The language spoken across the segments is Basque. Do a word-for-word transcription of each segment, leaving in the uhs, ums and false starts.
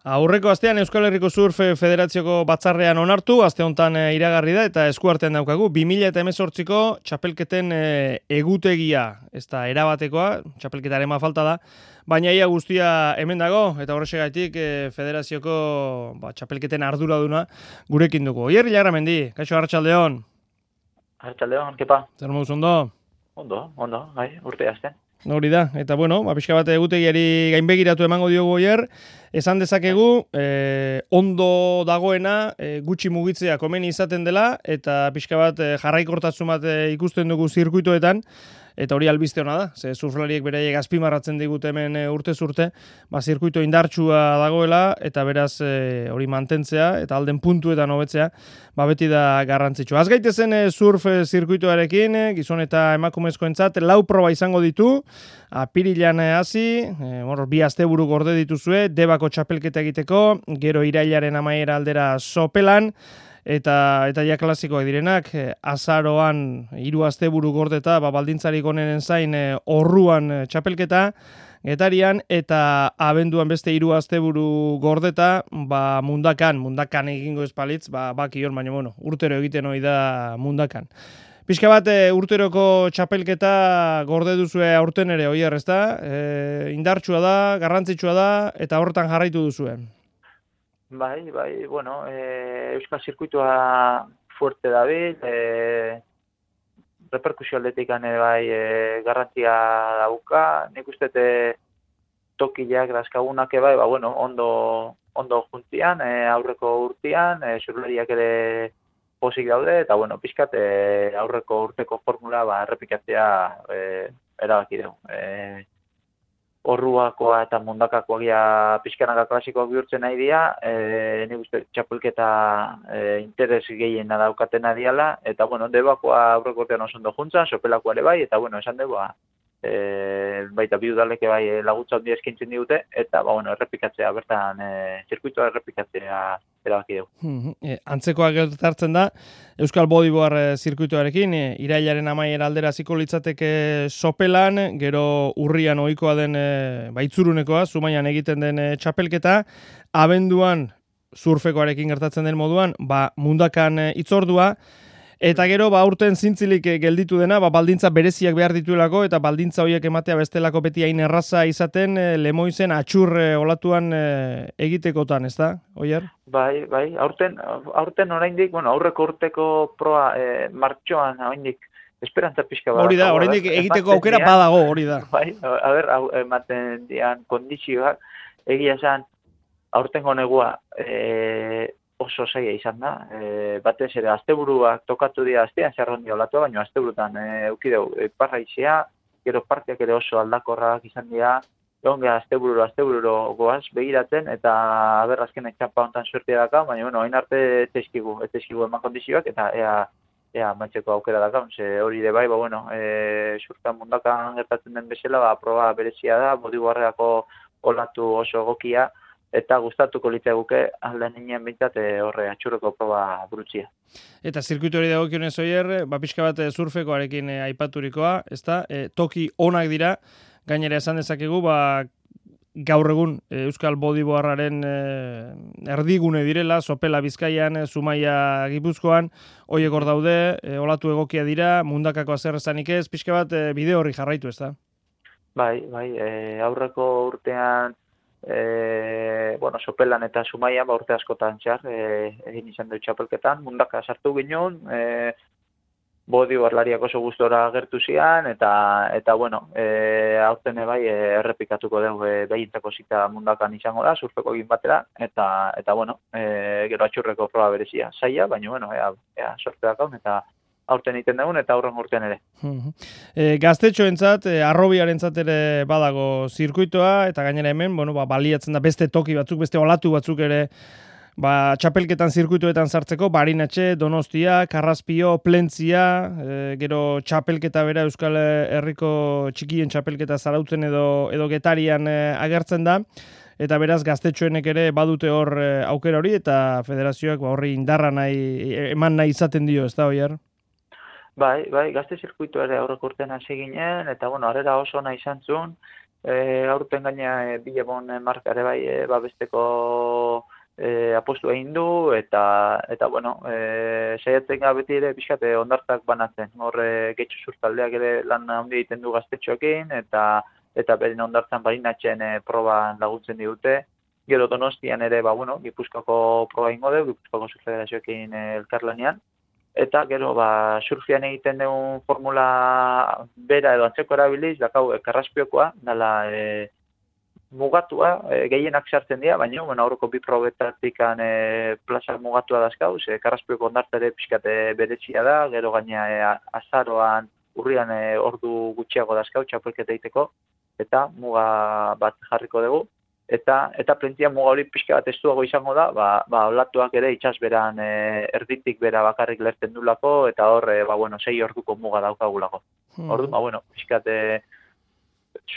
Aurreko astean Euskal Herriko Surf Federazioko batzarrean onartu, aste honetan iragarri da eta eskuartean daukagu bi mila hemezortziko txapelketen egutegia, ez da erabatekoa, txapelketaren falta da, baina ia guztia hemen dago eta horrexegatik Federazioko ba, txapelketen arduraduna gurekin dugu. Oier Ilarramendi, kaixo arratsaldeon. Arratsaldeon, kepa. Zer moduz ondo? Ondo, ondo, bai, urte hasten. Hori da, eta bueno, ba, pixka bat egutegiari gainbegiratu emango diogu oier, esan dezakegu, eh, ondo dagoena, eh, gutxi mugitzea komeni izaten dela, eta pixka bat eh, jarraikortasun bat eh, ikusten dugu zirkuitoetan, eta hori albiste hona da, ze surflariek beraiek azpimarratzen digute hemen e, urtez urte, ba, zirkuito indartsua dagoela, eta beraz e, hori mantentzea, eta alden puntuetan hobetzea, ba, beti da garrantzitsua. Az gaitezen e, surf e, zirkuitoarekin, e, gizon eta emakumezkoentzat, lau proba izango ditu, apirilan hasi, e, bi asteburu gorde dituzue, Debako txapelketa egiteko, gero irailaren amaiera aldera Sopelan, eta eta ja klasikoak direnak, azaroan hiru asteburu gordeta, ba, baldintzarik onenen zain e, orruan e, txapelketa, Getarian, eta abenduan beste hiru asteburu gordeta, ba, mundakan, mundakan egingo espalitz, ba, bakion, baina bueno, urtero egiten hori da mundakan. Pixka bat, e, urteroko txapelketa gorde duzue aurten ere, oier, ez da? E, indartsua da, garrantzitsua da, eta horretan jarraitu duzuen. Bai, bai, bueno, e, Euskal Zirkuitoa fuerte dabil, e, reperkusio aldetik ane bai e, garrantzia dauka, nik uste tokiak dazkagunak bai, ba, bueno, ondo, ondo juntzian, e, aurreko urtean, e, surlariak ere posik daude, eta bueno, pixkat e, aurreko urteko formula ba, errepikatzea e, erabaki dugu. E, Orruakoa eta mundakakoa gira pixkanaka klasikoak bihurtzen nahi dira, e, nik uste txapelketa e, interes gehiena daukatena diala, eta bueno, Debakoa aurreko urtean oso ondo juntzan, Sopelakoa ere bai, eta bueno, esan dugu, e, baita bi udaleke bai laguntza handia eskintzen digute, eta ba, bueno, errepikatzea, bertan e, zirkuitoa errepikatzea erabaki dugu. E, antzekoa gertatzen da, Euskal Bodyboard e, zirkuitoarekin, e, irailaren amaiera aldera ziko litzateke Sopelan, gero urrian ohikoa den e, baitzurunekoa, Zumaian egiten den e, txapelketa, abenduan surfekoarekin gertatzen den moduan, ba, mundakan e, itzordua, eta gero, ba, urten zintzilik gelditu dena, ba, baldintza bereziak behar dituelako, eta baldintza horiek ematea bestelako beti hain erraza izaten, e, Lemoizen atxur e, olatuan e, egitekotan, ez da, Oier? Bai, bai, aurten, aurten oraindik, bueno, aurreko urteko proa e, martxoan oraindik esperantza pixka badago. Hori da, oraindik egiteko aukera badago, hori da. Bai, a ber, ematen dian kondizioak, egia esan, aurtengo negua, e, oso zaila izan da, e, batez ere asteburuak tokatu dira astean zerron diolatua, baina asteburutan e, eukideu e, parraizea, gero partiak ere oso aldakorrak izan dira, egon gara astebururo, astebururo goaz begiratzen, eta aber azkenek txampa hontan suertia daka, baina bueno, hain arte etezkigu, etezkigu eman kondizioak, eta ea, ea mantzeko aukera daka, ze hori de bai, ba bueno, e, surtan mundakan gertatzen den bezala, ba, proba berezia da, Bodyboardeko olatu oso egokia, eta gustatuko litzaiguke alde ninen bintzat horre atxurreko proba burutzia. Eta zirkuitu hori dagokionez Oier, ba, pixka bat surfekoarekin e, aipaturikoa, ezta? E, toki onak dira, gainera esan dezakegu, ba, gaur egun e, Euskal Bodyboardaren e, erdigune direla, Sopela Bizkaian, e, Zumaia Gipuzkoan, horiek hor daude, e, olatu egokia dira, mundakako zer esanik ez, pixka bat e, bideo horri jarraitu, ezta? Bai, bai, e, aurreko urtean E, bueno, Sopelan eta Zumaian ba, urte askotan txar e, egin izan dut txapelketan, mundaka sartu ginen, e, Bodyboardlariak oso gustora gertu zian, eta, eta bueno, e, aurten bai e, errepikatuko dugu e, behintzako zita mundakan izango da, surfeko egin batera, eta, eta bueno, e, gero atxurreko proba berezia, zaila, baina bueno, ea, ea sorte dakaun, eta aurten egiten dugun eta aurren urtean ere. E, gaztetxoentzat, e, arrobiarentzat ere badago zirkuitoa, eta gainera hemen, bueno, ba, baliatzen da beste toki batzuk, beste olatu batzuk ere, ba, txapelketan zirkuitoetan sartzeko, Barinatxe, Donostia, Karraspio, Plentzia, e, gero txapelketa bera Euskal Herriko txikien txapelketa zarautzen edo, edo Getarian e, agertzen da, eta beraz gaztetxoenek ere badute hor e, aukera hori, eta federazioak ba, horri indarra nahi, eman nahi izaten dio, ez da, Oier? Bai, bai, gazte zirkuitu ere aurreko urtean hasi ginen, eta bueno, harrera oso nahi izan zuen, e, aurten gaina e, Bilebon markare bai e, babesteko e, apostu egin du, eta, eta bueno, e, saiatzen gara beti ere pixkate ondartzak banatzen. Hor e, Getxo Sur taldeak ere lan handi egiten du gaztetxoekin, eta eta beren ondartzan barinatzen e, proban laguntzen digute. Gero Donostian ere, ba, bueno, Gipuzkoako proba ingo dugu, Gipuzkoako Surfederazioekin e, elkarlanean. Eta gero, ba, surfian egiten dugun formula bera edo antzeko erabiliz, dakau, e, Karraspiokoa, dala e, mugatua, e, gehienak sartzen dira, baina, bueno, aurreko bi probetatik e, plaza mugatua dazkauz, e, Karraspioko ondartzare pixkate beretsia da, gero gaina e, azaroan, urrian e, ordu gutxiago dazkau, txapelketa egiteko, eta muga bat jarriko dugu. Eta eta plentzia muga hori pixka bat estuago izango da, ba, ba olatuak ere itsasberan e, erditik bera bakarrik lertzen dulako, eta hor, e, ba, bueno, sei orduko muga daukagulako. Hmm. Ordu, ba, bueno, pixka bat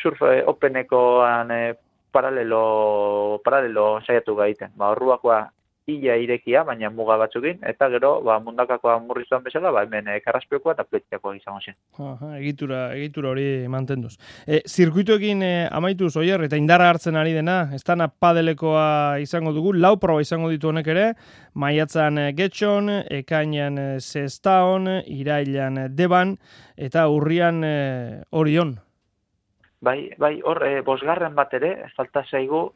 surf e, openekoan e, paralelo, paralelo saiatu gaiten. Ba, orduakoa ia irekia, baina muga batzukin, eta gero, ba, mundakakoa murriztuan bezala, ba, hemen e, Karraspiokoa eta Pletziakoa izango zen. Aha, egitura, egitura hori mantenduz. E, zirkuitoekin e, amaituz, Oier, eta indarra hartzen ari dena, ez dana padelekoa izango dugu, lau proba izango ditu honek ere, maiatzan e, Getxon, ekainan e, Sestaon, irailan e, Deban, eta urrian e, Orion. Bai, bai, hor, e, bosgarren bat ere, falta zaigu,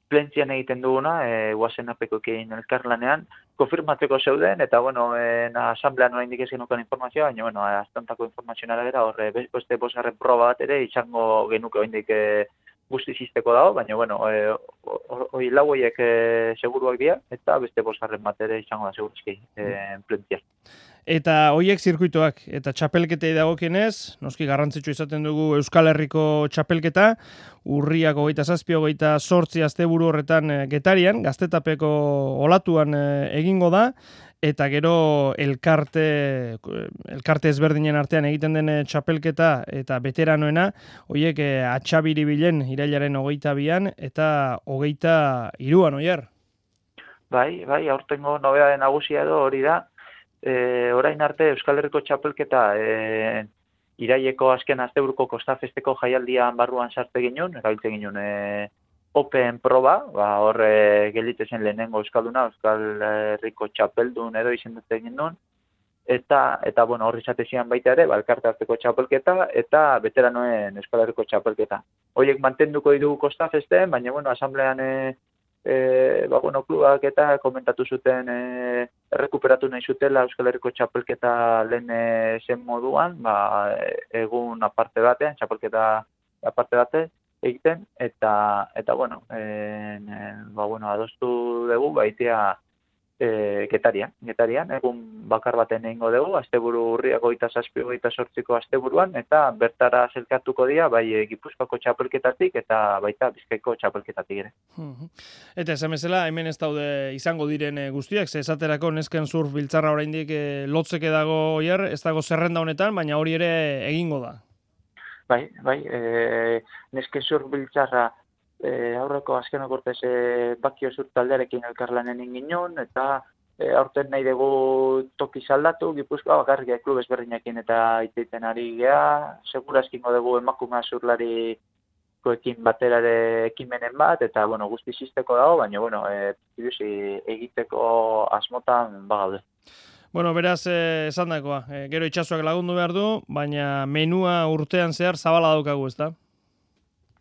Plentzian egiten duguna, e, guazen apekoekin elkarlanean, konfirmatzeko zeuden, eta, bueno, e, na, asamblean oraindik ez genukan informazioa, baina, bueno, aztantako informazioa gara, horre, beste bosgarren proba bat ere, izango genuke oraindik e, guzti zizteko dago, baina, bueno, e, hori lau horiek e, seguruak dira, eta beste bosgarren bat ere izango da segurazki, e, Plentzian. Eta hoiek zirkuitoak, eta txapelketei dagokienez, noski garrantzitsu izaten dugu Euskal Herriko txapelketa, urriak hogeita zazpi, hogeita zortzi asteburu horretan Getarian, Gaztetapeko olatuan egingo da, eta gero elkarte, elkarte ezberdinen artean egiten den txapelketa eta veteranoena, hoiek atxabiribilen irailaren hogeita bian, eta hogeita hiruan, Oier. Bai, bai, aurtengo nobedade nagusia edo hori da, E, orain arte Euskal Herriko txapelketa e, iraileko azken asteburuko Kostafesteko jaialdian barruan sartu ginen, erabiltzen ginen e, Open proba, ba, hor e, gelite zen lehenengo Euskalduna, Euskal Herriko txapeldun edo izendatzen ginen, eta, eta bueno, hor izatezian baita ere, ba, elkarte arteko txapelketa eta veteranoen Euskal Herriko txapelketa. Horiek mantenduko ditugu Kostafesten, baina, bueno, asamblean e, E, ba, bueno, klubak eta komentatu zuten e, errekuperatu nahi zutela Euskal Herriko txapelketa lehen e, zen moduan, ba, egun aparte batean, txapelketa aparte bate egiten, eta, eta bueno, e, e, ba, bueno, adostu dugu, baitea e, Getarian, Getarian, egun bakar baten egingo dugu, asteburu urriak hogeita zazpi, hogeita zortziko asteburuan, eta bertara zelkatuko dira, bai e, Gipuzkoako txapelketatik eta baita Bizkaiko txapelketatik ere. Eta esan bezala, hemen ez daude izango diren guztiak, ze esaterako nesken surf biltzarra oraindik e, lotzeke dago Oier, ez dago zerrenda honetan, baina hori ere egingo da. Bai, bai, e, nesken surf biltzarra e, aurreko azken okortez e, Bakio Sur taldearekin elkarlanen ingin eta e, aurten nahi dugu toki saldatu, Gipuzkoa bakarrik klub ezberdinekin eta iteiten ari gea, segurazkingo dugu emakumea surlari ekin baterare ekimenen bat, eta, bueno, guzti zizteko dago, baina, bueno, e, egiteko asmotan bagaude. Bueno, beraz, eh, esan dakoa, eh, gero itxasuak lagundu behar du, baina menua urtean zehar zabala daukagu, ez da?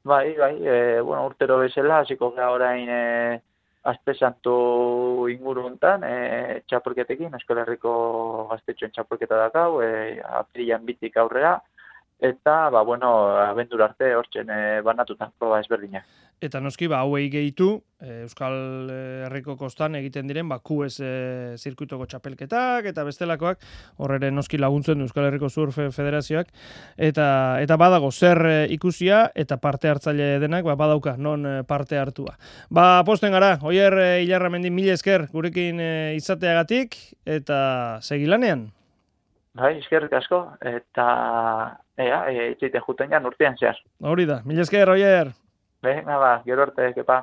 Bai, bai, e, bueno, urtero bezala, hasiko gara orain e, Aste Santu inguru hontan, e, txapelketekin, Euskal Herriko gaztetxoen txapelketa dakau, e, apirilan bitik aurrera, eta, ba, bueno, abendura arte hortzen e, banatutan proba ezberdinak. Eta noski, ba, hauei gehitu, e, Euskal Herriko kostan egiten diren, ba, Q S e, zirkuitoko txapelketak, eta bestelakoak, horre noski laguntzen Euskal Herriko Surf Federazioak, eta eta badago zer e, ikusia, eta parte hartzaile denak, ba, badauka, non e, parte hartua. Ba, posten gara, Oier e, Ilarramendi mila esker gurekin e, izateagatik, eta segilanean. Bai, eskerrik asko, eta ea, e, itxeite juten jan urtean zehar. Hori da, mila esker, Oier. Venga, ba, gero arte, kepa.